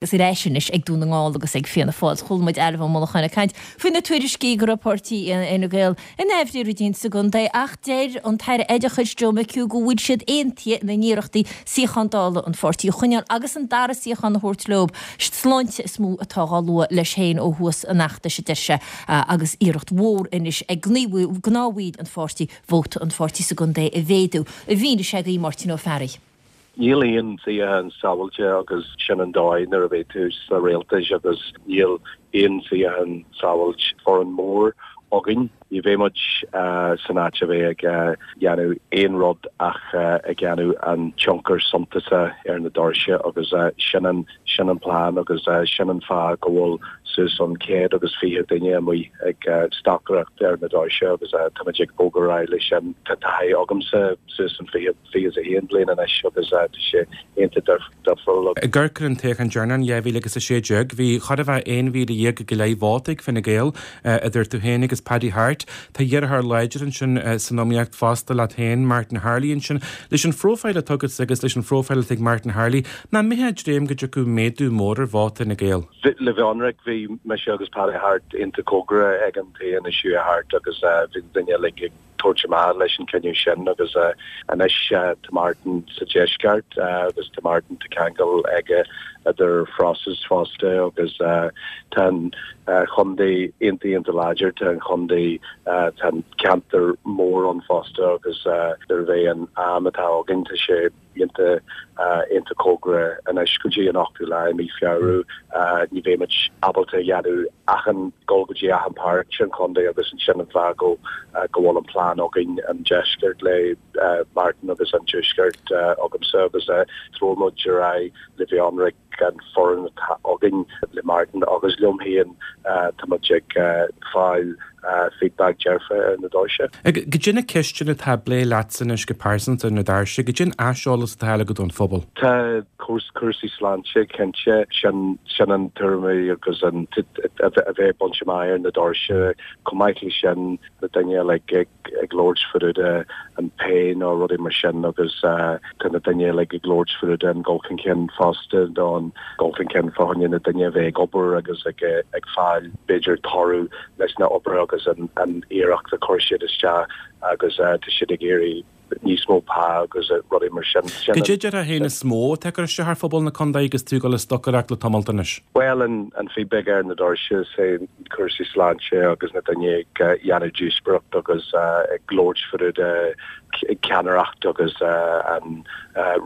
Agus ar ais anois ag Dún na nGall agus ag Fianna Fáil. Chuala muid Ailbhe Ó Monacháin ag caint faoi na tuairiscí go raibh páirtí Fhine Gael in aimhréidh rud éigin sa gcontae ach deir an tAire Oideachais Joe McHugh go bhfuil siad aontaithe ina n-iarrachtaí suíochán Dála an pháirtí a choinneáil agus an dara suíochán a thabhairt leo. Sláinte is mó atá dhá lua leis féin ó thús an fheachtais, a deir sé, agus iarracht mhór anois ag gnáthbhaill an pháirtí vóta an pháirtí sa gcontae a mhéadú. A mhínigh sé do Mháirtín Ó Fearraigh. Níl aon suíochán sábháilte agus sin an dóigh nuair a bheidh tú sa rialtas agus níl aon suíochán sábháilte. Foireann mór againn. Ní bheidh muid san áit a bheith ag dhéanamh aon rud ach ag dhéanamh an tionchar suntasach ar na doirse agus sin an sin an plean agus sin an fáth go bhfuil suas an 120 duine amuigh ag stocaireacht ar na doirse agus táimid ag bogadh ar aghaidh leis sin. Tá taithí agamsa suas an 20 21 bliain anois agus tá sé iontach difriúil. Ag amharc ar an toghchán deireanach in 2016, bhí chóir a bheith 11,000 go leith vóta ag Fine Gael, idir tú féin agus Paddy Harte. Tá deartháir láidir ansin san iomaíocht fosta leat féin, Martin Harley ansin. Leis an phróifíl atá agatsa agus leis an phróifíl atá ag Martin Harley, nach mbeifeá ag dréim go dtiocfadh méadú mór ar vóta Fhine Gael? Le bheith ionraic, bhí mise agus Paddy Harte iontach cóngarach ag an toghchán is chuaigh thart agus bhí na daoine uilig ag tabhairt amach leis an cinneadh sin agus anois tá Martin sa deisceart agus tá Martin tá ceangal aige idir phróiseas fosta agus tá an chontae iontach iontach láidir, tá an chontae tá an ceantar mór ann fosta agus nuair a bheidh an am atá againn tá sé iontach iontach cóngarach anois go dtí an 8ú lá i mí Feabhra. Ní bheidh muid ábalta a dhéanamh achan, dul go dtí achan páirt den chontae agus ansin an fáth go go bhfuil an plean againn an deisceart le Martin agus an tuaisceart agamsa agus treoir muid ar aghaidh le bheith ionraic an foireann atá againn le Martin agus liom féin, tá muid ag fáil feedback dearfa ar na doirse. Goidé na ceisteanna atá á bplé leatsa anois go pearsanta ar na doirse, goidé an aiseolas atá agat ón phobal? Tá cúrsaí sláinte cinnte, sin sin an tuairim agus an a bheith bainte amach ar na doirse. Chomh maith leis sin, na daoine uilig ag ag labhairt fá dtaobh de an pay nó rudaí mar sin agus tá na daoine uilig ag labhairt fá dtaobh den dul chun cinn fosta nó an dul chun cinn fá choinne na daoine a bheith ag obair agus ag ag fáil b'fhéidir toradh leis na obair agus an an iarracht a chuir siad isteach agus tá siad ag iarraidh níos mó pá agus rudaí mar sin. Goidé déarfá féin is mó atá ag cur isteach ar phobal na contae agus tú ag dul ag stocaireacht le tamalt anois? Bhuel, an feedback ar na doirse, is é cúrsaí sláinte agus na daoine ag dhéanamh díospóireacht agus ag labhairt fá dtaobh de ceannaireacht agus an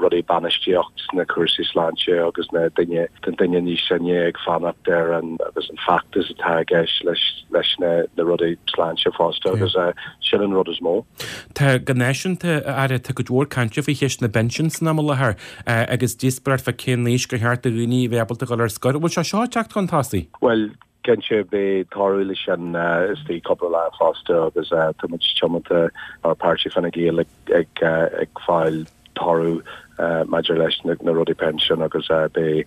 rudaí bainistíocht sna cúrsaí sláinte agus na daoine na daoine níos sine ag fanacht ar an agus an feachtas atá i gceist leis leis na na rudaí sláinte fosta agus sin an rud is mó. Tá go náisiúnta, a Aire, tá cuid mhór cainte faoi cheist na bpinsean san am i láthair agus díospóireacht fá cén aois gur cheart do dhaoine a bheith ábalta dul ar scor. An bhfuil sé seo ag teacht chun tosaigh? Bhuel, cinnte, beidh toradh leis sin istigh cúpla lá fosta agus tá muid tiomanta mar páirtí Fine Gael ag fáil toradh maidir leis na rudaí pinsean agus beidh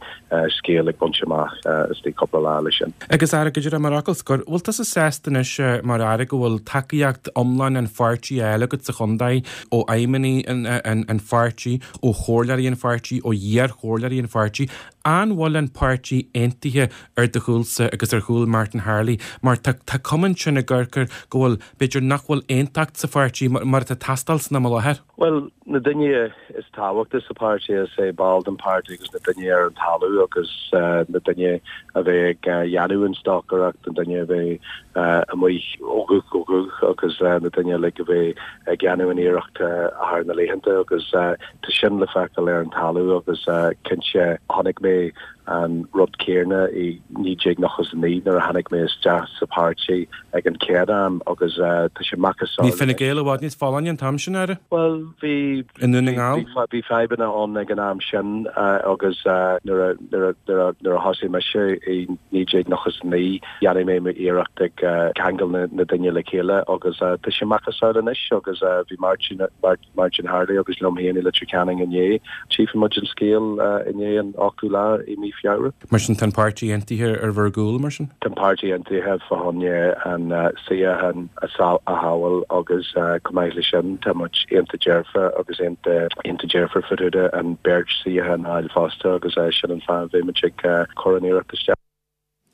scéal ag baint amach istigh cúpla lá leis sin. Agus Aire, go díreach mar fhocal scoir, bhfuil tusa sásta anois mar Aire go bhfuil tacaíocht iomlán an pháirtí á fháil agat sa chontae, ó fheidhmeannaigh an pháirtí, ó chomhairleoirí an pháirtí, ó iar-chomhairleoirí an pháirtí? An bhfuil an páirtí aontaithe ar do chúlsa agus ar chúl Martin Harley? Mar tá tá cuma ansin i gCorcaigh go bhfuil, b'fhéidir nach bhfuil aontacht sa pháirtí mar atá ag teastáil san am i láthair. Bhuel, na daoine is tábhachta sa pháirtí is é ball den pháirtí agus na daoine ar an talamh agus na daoine a bheidh ag dhéanamh an stocaireacht, na daoine a bheidh amuigh ó ghuth go guth agus na daoine uilig a bheidh ag dhéanamh an iarracht thar na laethanta agus tá sin le feiceáil ar an talamh agus cinnte chonaic mé an rud céarna i 1999 nuair a tháinig mé isteach sa pháirtí ag an chéad am agus tá sé macasamhail. Bhí Fine Gael i bhfad níos folláine an t-am sin, Aire? Bhuel, bhí. I nDún na nGall? Bhí fadhbanna ann ag an am sin agus nuair a nuair a nuair a nuair a thosaigh mise i 1999 dhéanfaidh mé m'iarracht ag ceangal na daoine le chéile agus tá sé macasamhail anois agus bhí Martin Martin Harley agus liom féin i Leitir Ceanainn inné. Tchífidh muid an scéal inné an 8ú lá i mí Feabhra. Mar sin, tá an páirtí aontaithe ar bhur gcúl, mar sin? Tá an páirtí aontaithe fá choinne an suíochán a shábháil agus chomh maith leis sin tá muid iontach dearfa agus iontach dearfa fá. Hooda an beirt suíochán a fháil fosta agus sin an fáth a bheidh muid ag cur an iarracht isteach.